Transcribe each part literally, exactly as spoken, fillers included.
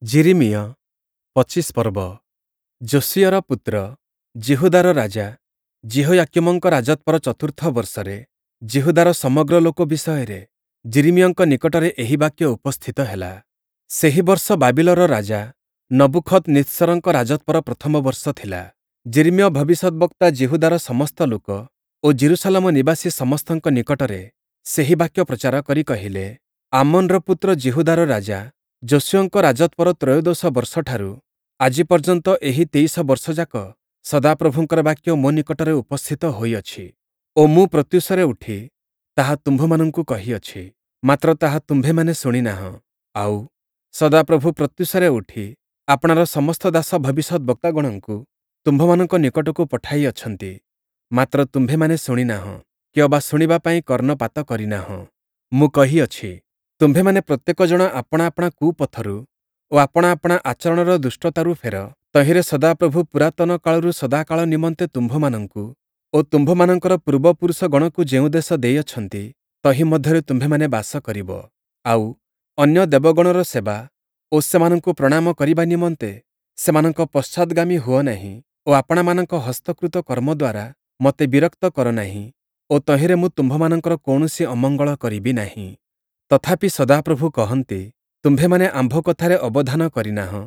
ଯିରିମିୟ ପଚିଶ ପର୍ବ ଯୋଶୀୟର ପୁତ୍ର ଯିହୁଦାର ରାଜା ଯିହୋୟାକୀମଙ୍କ ରାଜତ୍ଵର ଚତୁର୍ଥ ବର୍ଷରେ ଯିହୁଦାର ସମଗ୍ର ଲୋକ ବିଷୟରେ ଯିରିମିୟଙ୍କ ନିକଟରେ ଏହି ବାକ୍ୟ ଉପସ୍ଥିତ ହେଲା। ସେହି ବର୍ଷ ବାବିଲର ରାଜା ନବୂଖଦନିତ୍ସରଙ୍କ ରାଜତ୍ଵର ପ୍ରଥମ ବର୍ଷ ଥିଲା। ଯିରିମିୟ ଭବିଷ୍ୟଦ୍‌ବକ୍ତା ଯିହୁଦାର ସମସ୍ତ ଲୋକ ଓ ଯିରୂଶାଲମ ନିବାସୀ ସମସ୍ତଙ୍କ ନିକଟରେ ସେହି ବାକ୍ୟ ପ୍ରଚାର କରି କହିଲେ, ଆମୋନ୍‌ର ପୁତ୍ର ଯିହୁଦାର ରାଜା ଯୋଶୀୟଙ୍କ ରାଜତ୍ଵର ତ୍ରୟୋଦଶ ବର୍ଷଠାରୁ ଆଜି ପର୍ଯ୍ୟନ୍ତ ଏହି ତେଇଶ ବର୍ଷଯାକ ସଦାପ୍ରଭୁଙ୍କର ବାକ୍ୟ ମୋ ନିକଟରେ ଉପସ୍ଥିତ ହୋଇଅଛି ଓ ମୁଁ ପ୍ରତ୍ୟୁଷରେ ଉଠି ତାହା ତୁମ୍ଭମାନଙ୍କୁ କହିଅଛି, ମାତ୍ର ତାହା ତୁମ୍ଭେମାନେ ଶୁଣି ନାହଁ। ଆଉ, ସଦାପ୍ରଭୁ ପ୍ରତ୍ୟୁଷରେ ଉଠି ଆପଣାର ସମସ୍ତ ଦାସ ଭବିଷ୍ୟଦ୍‌ବକ୍ତାଗଣଙ୍କୁ ତୁମ୍ଭମାନଙ୍କ ନିକଟକୁ ପଠାଇଅଛନ୍ତି, ମାତ୍ର ତୁମ୍ଭେମାନେ ଶୁଣି ନାହଁ କି ଅବା ଶୁଣିବା ପାଇଁ କର୍ଣ୍ଣପାତ କରି ନାହଁ। ମୁଁ କହିଅଛି, ତୁମ୍ଭେମାନେ ପ୍ରତ୍ୟେକ ଜଣ ଆପଣା ଆପଣା କୁପଥରୁ ଓ ଆପଣା ଆପଣା ଆଚରଣର ଦୁଷ୍ଟତାରୁ ଫେର, ତହିଁରେ ସଦାପ୍ରଭୁ ପୁରାତନ କାଳରୁ ସଦାକାଳ ନିମନ୍ତେ ତୁମ୍ଭମାନଙ୍କୁ ଓ ତୁମ୍ଭମାନଙ୍କର ପୂର୍ବପୁରୁଷଗଣକୁ ଯେଉଁ ଦେଶ ଦେଇଅଛନ୍ତି, ତହିଁ ମଧ୍ୟରେ ତୁମ୍ଭେମାନେ ବାସ କରିବ। ଆଉ, ଅନ୍ୟ ଦେବଗଣର ସେବା ଓ ସେମାନଙ୍କୁ ପ୍ରଣାମ କରିବା ନିମନ୍ତେ ସେମାନଙ୍କ ପଶ୍ଚାଦ୍‌ଗାମୀ ହୁଅ ନାହିଁ ଓ ଆପଣାମାନଙ୍କ ହସ୍ତକୃତ କର୍ମ ଦ୍ୱାରା ମୋତେ ବିରକ୍ତ କର ନାହିଁ ଓ ତହିଁରେ ମୁଁ ତୁମ୍ଭମାନଙ୍କର କୌଣସି ଅମଙ୍ଗଳ କରିବି ନାହିଁ। ତଥାପି ସଦାପ୍ରଭୁ କହନ୍ତି, ତୁମ୍ଭେମାନେ ଆମ୍ଭ କଥାରେ ଅବଧାନ କରିନାହଁ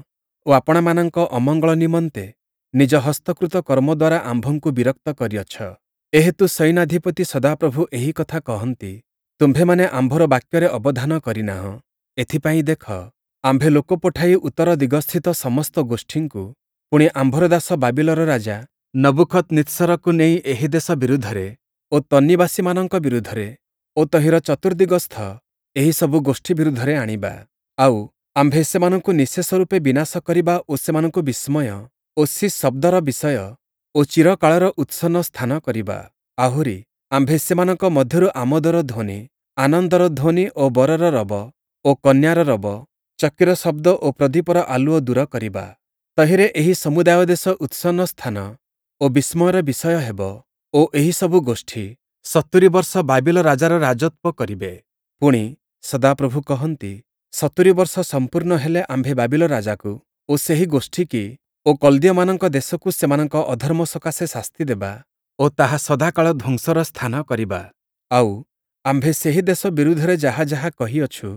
ଓ ଆପଣାମାନଙ୍କ ଅମଙ୍ଗଳ ନିମନ୍ତେ ନିଜ ହସ୍ତକୃତ କର୍ମ ଦ୍ୱାରା ଆମ୍ଭଙ୍କୁ ବିରକ୍ତ କରିଅଛ। ଏହେତୁ ସୈନ୍ୟାଧିପତି ସଦାପ୍ରଭୁ ଏହି କଥା କହନ୍ତି, ତୁମ୍ଭେମାନେ ଆମ୍ଭର ବାକ୍ୟରେ ଅବଧାନ କରିନାହଁ, ଏଥିପାଇଁ ଦେଖ, ଆମ୍ଭେ ଲୋକ ପଠାଇ ଉତ୍ତର ଦିଗସ୍ଥିତ ସମସ୍ତ ଗୋଷ୍ଠୀଙ୍କୁ, ପୁଣି ଆମ୍ଭର ଦାସ ବାବିଲର ରାଜା ନବୂଖଦନିତ୍ସରକୁ ନେଇ ଏହି ଦେଶ ବିରୁଦ୍ଧରେ ଓ ତନ୍ନିବାସୀମାନଙ୍କ ବିରୁଦ୍ଧରେ ଓ ତହିଁର ଚତୁର୍ଦ୍ଦିଗସ୍ଥ ଏହି ସବୁ ଗୋଷ୍ଠୀ ବିରୁଦ୍ଧରେ ଆଣିବା। ଆଉ, ଆମ୍ଭେ ସେମାନଙ୍କୁ ନିଃଶେଷ ରୂପେ ବିନାଶ କରିବା ଓ ସେମାନଙ୍କୁ ବିସ୍ମୟ ଓ ଶୀସ୍ ଶବ୍ଦର ବିଷୟ ଓ ଚିରକାଳର ଉତ୍ସନ୍ନ ସ୍ଥାନ କରିବା। ଆହୁରି, ଆମ୍ଭେ ସେମାନଙ୍କ ମଧ୍ୟରୁ ଆମୋଦର ଧ୍ୱନି, ଆନନ୍ଦର ଧ୍ୱନି ଓ ବରର ରବ ଓ କନ୍ୟାର ରବ, ଚକ୍କିର ଶବ୍ଦ ଓ ପ୍ରଦୀପର ଆଲୁଅ ଦୂର କରିବା। ତହିଁରେ ଏହି ସମୁଦାୟ ଦେଶ ଉତ୍ସନ୍ନ ସ୍ଥାନ ଓ ବିସ୍ମୟର ବିଷୟ ହେବ ଓ ଏହି ସବୁ ଗୋଷ୍ଠୀ ସତୁରି ବର୍ଷ ବାବିଲ ରାଜାର ରାଜତ୍ଵ କରିବେ। ପୁଣି, ସଦାପ୍ରଭୁ କହନ୍ତି, ସତୁରି ବର୍ଷ ସମ୍ପୂର୍ଣ୍ଣ ହେଲେ ଆମ୍ଭେ ବାବିଲ ରାଜାକୁ ଓ ସେହି ଗୋଷ୍ଠୀକି ଓ କଲ୍ଦୀୟମାନଙ୍କ ଦେଶକୁ ସେମାନଙ୍କ ଅଧର୍ମ ସକାଶେ ଶାସ୍ତି ଦେବା ଓ ତାହା ସଦାକାଳ ଧ୍ୱଂସର ସ୍ଥାନ କରିବା। ଆଉ, ଆମ୍ଭେ ସେହି ଦେଶ ବିରୁଦ୍ଧରେ ଯାହା ଯାହା କହିଅଛୁ,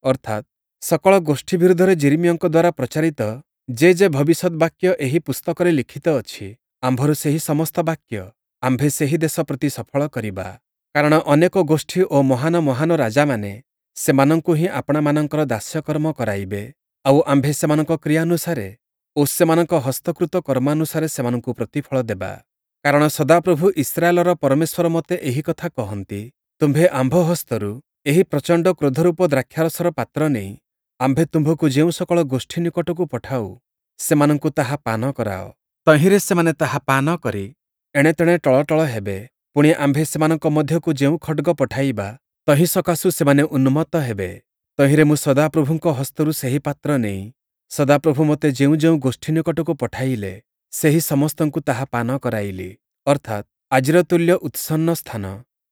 ଅର୍ଥାତ୍, ସକଳ ଗୋଷ୍ଠୀ ବିରୁଦ୍ଧରେ ଯିରିମିୟଙ୍କ ଦ୍ୱାରା ପ୍ରଚାରିତ ଯେ ଯେ ଭବିଷ୍ୟଦ୍‌ବାକ୍ୟ ଏହି ପୁସ୍ତକରେ ଲିଖିତ ଅଛି, ଆମ୍ଭର ସେହି ସମସ୍ତ ବାକ୍ୟ ଆମ୍ଭେ ସେହି ଦେଶ ପ୍ରତି ସଫଳ କରିବା। କାରଣ ଅନେକ ଗୋଷ୍ଠୀ ଓ ମହାନ ମହାନ ରାଜାମାନେ ସେମାନଙ୍କୁ ହିଁ ଆପଣାମାନଙ୍କର ଦାସ୍ୟକର୍ମ କରାଇବେ, ଆଉ ଆମ୍ଭେ ସେମାନଙ୍କ କ୍ରିୟାନୁସାରେ ଓ ସେମାନଙ୍କ ହସ୍ତକୃତ କର୍ମାନୁସାରେ ସେମାନଙ୍କୁ ପ୍ରତିଫଳ ଦେବା। କାରଣ ସଦାପ୍ରଭୁ ଇସ୍ରାଏଲର ପରମେଶ୍ୱର ମୋତେ ଏହି କଥା କହନ୍ତି, ତୁମ୍ଭେ ଆମ୍ଭ ହସ୍ତରୁ ଏହି ପ୍ରଚଣ୍ଡ କ୍ରୋଧରୂପ ଦ୍ରାକ୍ଷାରସର ପାତ୍ର ନେଇ ଆମ୍ଭେ ତୁମ୍ଭକୁ ଯେଉଁ ସକଳ ଗୋଷ୍ଠୀ ନିକଟକୁ ପଠାଉ, ସେମାନଙ୍କୁ ତାହା ପାନ କରାଅ। ତହିଁରେ ସେମାନେ ତାହା ପାନ କରି ଏଣେତେଣେ ଟଳଟଳ ହେବେ। ପୁଣି, ଆମ୍ଭେ ସେମାନଙ୍କ ମଧ୍ୟକୁ ଯେଉଁ ଖଡ଼୍ଗ ପଠାଇବା, ତହିଁ ସକାଶୁ ସେମାନେ ଉନ୍ମତ୍ତ ହେବେ। ତହିଁରେ ମୁଁ ସଦାପ୍ରଭୁଙ୍କ ହସ୍ତରୁ ସେହି ପାତ୍ର ନେଇ ସଦାପ୍ରଭୁ ମୋତେ ଯେଉଁ ଯେଉଁ ଗୋଷ୍ଠୀ ନିକଟକୁ ପଠାଇଲେ, ସେହି ସମସ୍ତଙ୍କୁ ତାହା ପାନ କରାଇଲି। ଅର୍ଥାତ୍, ଆଜିର ତୁଲ୍ୟ ଉତ୍ସନ୍ନ ସ୍ଥାନ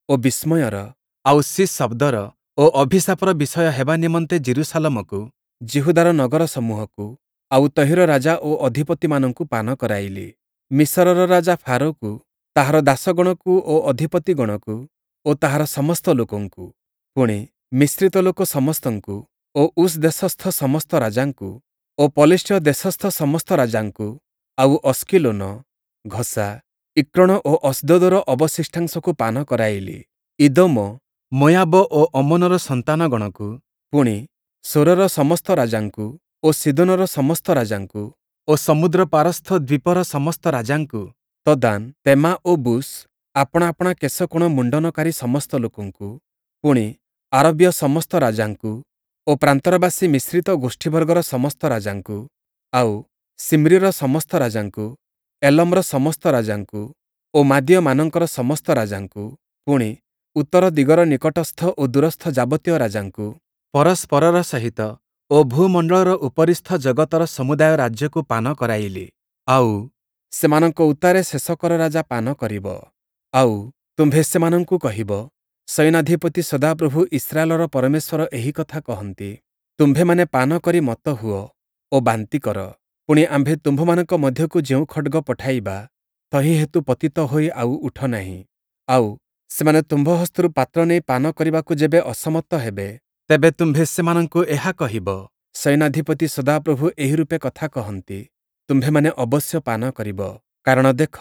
ଓ ବିସ୍ମୟର, ଆଉ ଶୀସ୍ ଶବ୍ଦର ଓ ଅଭିଶାପର ବିଷୟ ହେବା ନିମନ୍ତେ ଯିରୂଶାଲମକୁ, ଯିହୁଦାର ନଗରସମୂହକୁ, ଆଉ ତହିଁର ରାଜା ଓ ଅଧିପତିମାନଙ୍କୁ ପାନ କରାଇଲି। ମିଶରର ରାଜା ଫାରୋକୁ, ତାହାର ଦାସଗଣକୁ ଓ ଅଧିପତିଗଣକୁ ଓ ତାହାର ସମସ୍ତ ଲୋକଙ୍କୁ, ପୁଣି, ମିଶ୍ରିତ ଲୋକ ସମସ୍ତଙ୍କୁ ଓ ଉସ୍ ଦେଶସ୍ଥ ସମସ୍ତ ରାଜାଙ୍କୁ ଓ ପଲେଷ୍ଟୀୟ ଦେଶସ୍ଥ ସମସ୍ତ ରାଜାଙ୍କୁ, ଆଉ ଅସ୍କିଲୋନ, ଘସା, ଇକ୍ରୋଣ ଓ ଅସ୍ଦୋଦର ଅବଶିଷ୍ଟାଂଶକୁ ପାନ କରାଇଲି। ଇଦୋମ, ମୋୟାବ ଓ ଅମ୍ମୋନର ସନ୍ତାନଗଣକୁ, ପୁଣି, ସୋରର ସମସ୍ତ ରାଜାଙ୍କୁ ଓ ସୀଦୋନର ସମସ୍ତ ରାଜାଙ୍କୁ ଓ ସମୁଦ୍ର ପାରସ୍ଥ ଦ୍ୱୀପର ସମସ୍ତ ରାଜାଙ୍କୁ, ତଦାନ୍, ତେମା ଓ ବୁସ୍, ଆପଣା ଆପଣା କେଶକୋଣ ମୁଣ୍ଡନକାରୀ ସମସ୍ତ ଲୋକଙ୍କୁ, ପୁଣି, ଆରବୀୟ ସମସ୍ତ ରାଜାଙ୍କୁ ଓ ପ୍ରାନ୍ତରବାସୀ ମିଶ୍ରିତ ଗୋଷ୍ଠୀବର୍ଗର ସମସ୍ତ ରାଜାଙ୍କୁ, ଆଉ, ସିମ୍ରୀର ସମସ୍ତ ରାଜାଙ୍କୁ, ଏଲମ୍‌ର ସମସ୍ତ ରାଜାଙ୍କୁ ଓ ମାଦୀୟମାନଙ୍କର ସମସ୍ତ ରାଜାଙ୍କୁ, ପୁଣି, ଉତ୍ତର ଦିଗର ନିକଟସ୍ଥ ଓ ଦୂରସ୍ଥ ଯାବତୀୟ ରାଜାଙ୍କୁ, ପରସ୍ପରର ସହିତ ଓ ଭୂମଣ୍ଡଳର ଉପରିସ୍ଥ ଜଗତର ସମୁଦାୟ ରାଜ୍ୟକୁ ପାନ କରାଇଲି। ଆଉ, ସେମାନଙ୍କ ଉତ୍ତାରେ ଶେଶକର ରାଜା ପାନ କରିବ। ଆଉ, ତୁମ୍ଭେ ସେମାନଙ୍କୁ କହିବ, ସୈନ୍ୟାଧିପତି ସଦାପ୍ରଭୁ ଇସ୍ରାଏଲର ପରମେଶ୍ୱର ଏହି କଥା କହନ୍ତି, ତୁମ୍ଭେମାନେ ପାନ କରି ମତ୍ତ ହୁଅ ଓ ଓ ବାନ୍ତି କର। ପୁଣି, ଆମ୍ଭେ ତୁମ୍ଭମାନଙ୍କ ମଧ୍ୟକୁ ଯେଉଁ ଖଡ଼୍ଗ ପଠାଇବା, ତହିଁ ହେତୁ ପତିତ ହୋଇ ଆଉ ଉଠ ନାହିଁ। ଆଉ, ସେମାନେ ତୁମ୍ଭ ହସ୍ତରୁ ପାତ୍ର ନେଇ ପାନ କରିବାକୁ ଯେବେ ଅସମର୍ଥ ହେବେ, ତେବେ ତୁମ୍ଭେ ସେମାନଙ୍କୁ ଏହା କହିବ, ସୈନ୍ୟାଧିପତି ସଦାପ୍ରଭୁ ଏହିରୂପେ କଥା କହନ୍ତି, ତୁମ୍ଭେମାନେ ଅବଶ୍ୟ ପାନ କରିବ। କାରଣ ଦେଖ,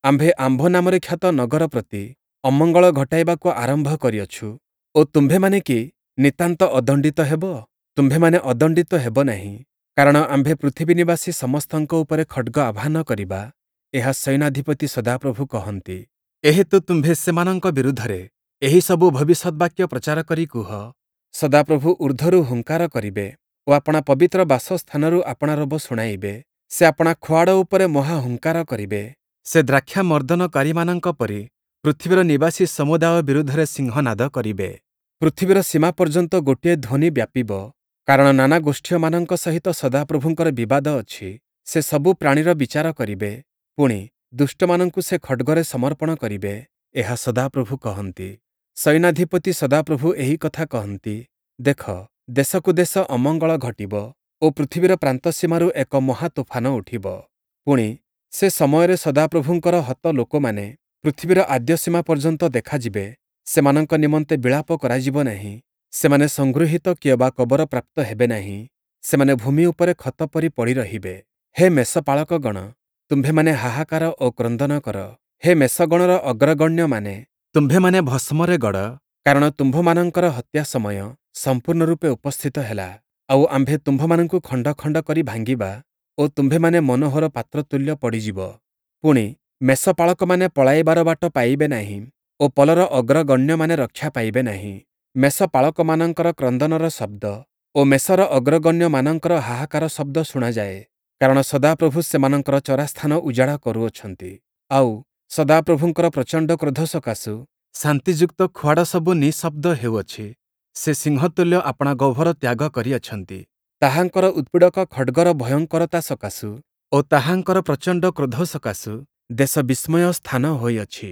ଆମ୍ଭେ ଆମ୍ଭ ନାମରେ ଖ୍ୟାତ ନଗର ପ୍ରତି ଅମଙ୍ଗଳ ଘଟାଇବାକୁ ଆରମ୍ଭ କରିଅଛୁ ଓ ତୁମ୍ଭେମାନେ କି ନିତାନ୍ତ ଅଦଣ୍ଡିତ ହେବ? ତୁମ୍ଭେମାନେ ଅଦଣ୍ଡିତ ହେବ ନାହିଁ। କାରଣ ଆମ୍ଭେ ପୃଥିବୀନିବାସୀ ସମସ୍ତଙ୍କ ଉପରେ ଖଡ଼୍ଗ ଆହ୍ୱାନ କରିବା, ଏହା ସୈନ୍ୟାଧିପତି ସଦାପ୍ରଭୁ କହନ୍ତି। ଏହେତୁ ତୁମ୍ଭେ ସେମାନଙ୍କ ବିରୁଦ୍ଧରେ ଏହିସବୁ ଭବିଷ୍ୟଦ୍‌ବାକ୍ୟ ପ୍ରଚାର କରି କୁହ, ସଦାପ୍ରଭୁ ଊର୍ଦ୍ଧ୍ୱରୁ ହୁଙ୍କାର କରିବେ ଓ ଆପଣା ପବିତ୍ର ବାସସ୍ଥାନରୁ ଆପଣା ରୋବ ଶୁଣାଇବେ। ସେ ଆପଣା ଖୁଆଡ଼ ଉପରେ ମହା ହୁଙ୍କାର କରିବେ। ସେ ଦ୍ରାକ୍ଷାମର୍ଦନକାରୀମାନଙ୍କ ପରି ପୃଥିବୀର ନିବାସୀ ସମୁଦାୟ ବିରୁଦ୍ଧରେ ସିଂହନାଦ କରିବେ। ପୃଥିବୀର ସୀମା ପର୍ଯ୍ୟନ୍ତ ଗୋଟିଏ ଧ୍ୱନି ବ୍ୟାପିବ, କାରଣ ନାନା ଗୋଷ୍ଠୀୟମାନଙ୍କ ସହିତ ସଦାପ୍ରଭୁଙ୍କର ବିବାଦ ଅଛି। ସେ ସବୁ ପ୍ରାଣୀର ବିଚାର କରିବେ, ପୁଣି, ଦୁଷ୍ଟମାନଙ୍କୁ ସେ ଖଡ଼୍ଗରେ ସମର୍ପଣ କରିବେ, ଏହା ସଦାପ୍ରଭୁ କହନ୍ତି। ସୈନ୍ୟାଧିପତି ସଦାପ୍ରଭୁ ଏହି କଥା କହନ୍ତି, ଦେଖ, ଦେଶକୁ ଦେଶ ଅମଙ୍ଗଳ ଘଟିବ ଓ ପୃଥିବୀର ପ୍ରାନ୍ତସୀମାରୁ ଏକ ମହାତୋଫାନ ଉଠିବ। ପୁଣି, ସେ ସମୟରେ ସଦାପ୍ରଭୁଙ୍କର ହତ ଲୋକମାନେ ପୃଥିବୀର ଆଦ୍ୟସୀମା ପର୍ଯ୍ୟନ୍ତ ଦେଖାଯିବେ। ସେମାନଙ୍କ ନିମନ୍ତେ ବିଳାପ କରାଯିବ ନାହିଁ, ସେମାନେ ସଂଗୃହୀତ କିଅବା କବର ପ୍ରାପ୍ତ ହେବେ ନାହିଁ, ସେମାନେ ଭୂମି ଉପରେ ଖତ ପରି ପଡ଼ି ରହିବେ। ହେ ମେଷପାଳକଗଣ, ତୁମ୍ଭେମାନେ ହାହାକାର ଓ କ୍ରନ୍ଦନ କର। ହେ ମେଷଗଣର ଅଗ୍ରଗଣ୍ୟମାନେ, ତୁମ୍ଭେମାନେ ଭସ୍ମରେ ଗଡ଼, କାରଣ ତୁମ୍ଭମାନଙ୍କର ହତ୍ୟା ସମୟ ସମ୍ପୂର୍ଣ୍ଣ ରୂପେ ଉପସ୍ଥିତ ହେଲା। ଆଉ ଆମ୍ଭେ ତୁମ୍ଭମାନଙ୍କୁ ଖଣ୍ଡ ଖଣ୍ଡ କରି ଭାଙ୍ଗିବା ଓ ତୁମ୍ଭେମାନେ ମନୋହର ପାତ୍ର ତୁଲ୍ୟ ପଡ଼ିଯିବ। ପୁଣି, ମେଷପାଳକମାନେ ପଳାଇବାର ବାଟ ପାଇବେ ନାହିଁ ଓ ପଲର ଅଗ୍ରଗଣ୍ୟମାନେ ରକ୍ଷା ପାଇବେ ନାହିଁ। ମେଷପାଳକମାନଙ୍କର କ୍ରନ୍ଦନର ଶବ୍ଦ ଓ ମେଷର ଅଗ୍ରଗଣ୍ୟମାନଙ୍କର ହାହାକାର ଶବ୍ଦ ଶୁଣାଯାଏ, କାରଣ ସଦାପ୍ରଭୁ ସେମାନଙ୍କର ଚରାସ୍ଥାନ ଉଜାଡ଼ କରୁଅଛନ୍ତି। ଆଉ, ସଦାପ୍ରଭୁଙ୍କର ପ୍ରଚଣ୍ଡ କ୍ରୋଧ ସକାଶୁ ଶାନ୍ତିଯୁକ୍ତ ଖୁଆଡ଼ ସବୁ ନିଃଶବ୍ଦ ହେଉଅଛି। ସେ ସିଂହତୁଲ୍ୟ ଆପଣା ଗହ୍ୱର ତ୍ୟାଗ କରିଅଛନ୍ତି। ତାହାଙ୍କର ଉତ୍ପୀଡ଼କ ଖଡ଼୍ଗର ଭୟଙ୍କରତା ସକାଶୁ ଓ ତାହାଙ୍କର ପ୍ରଚଣ୍ଡ କ୍ରୋଧ ସକାଶୁ ଦେଶ ବିସ୍ମୟ ସ୍ଥାନ ହୋଇଅଛି।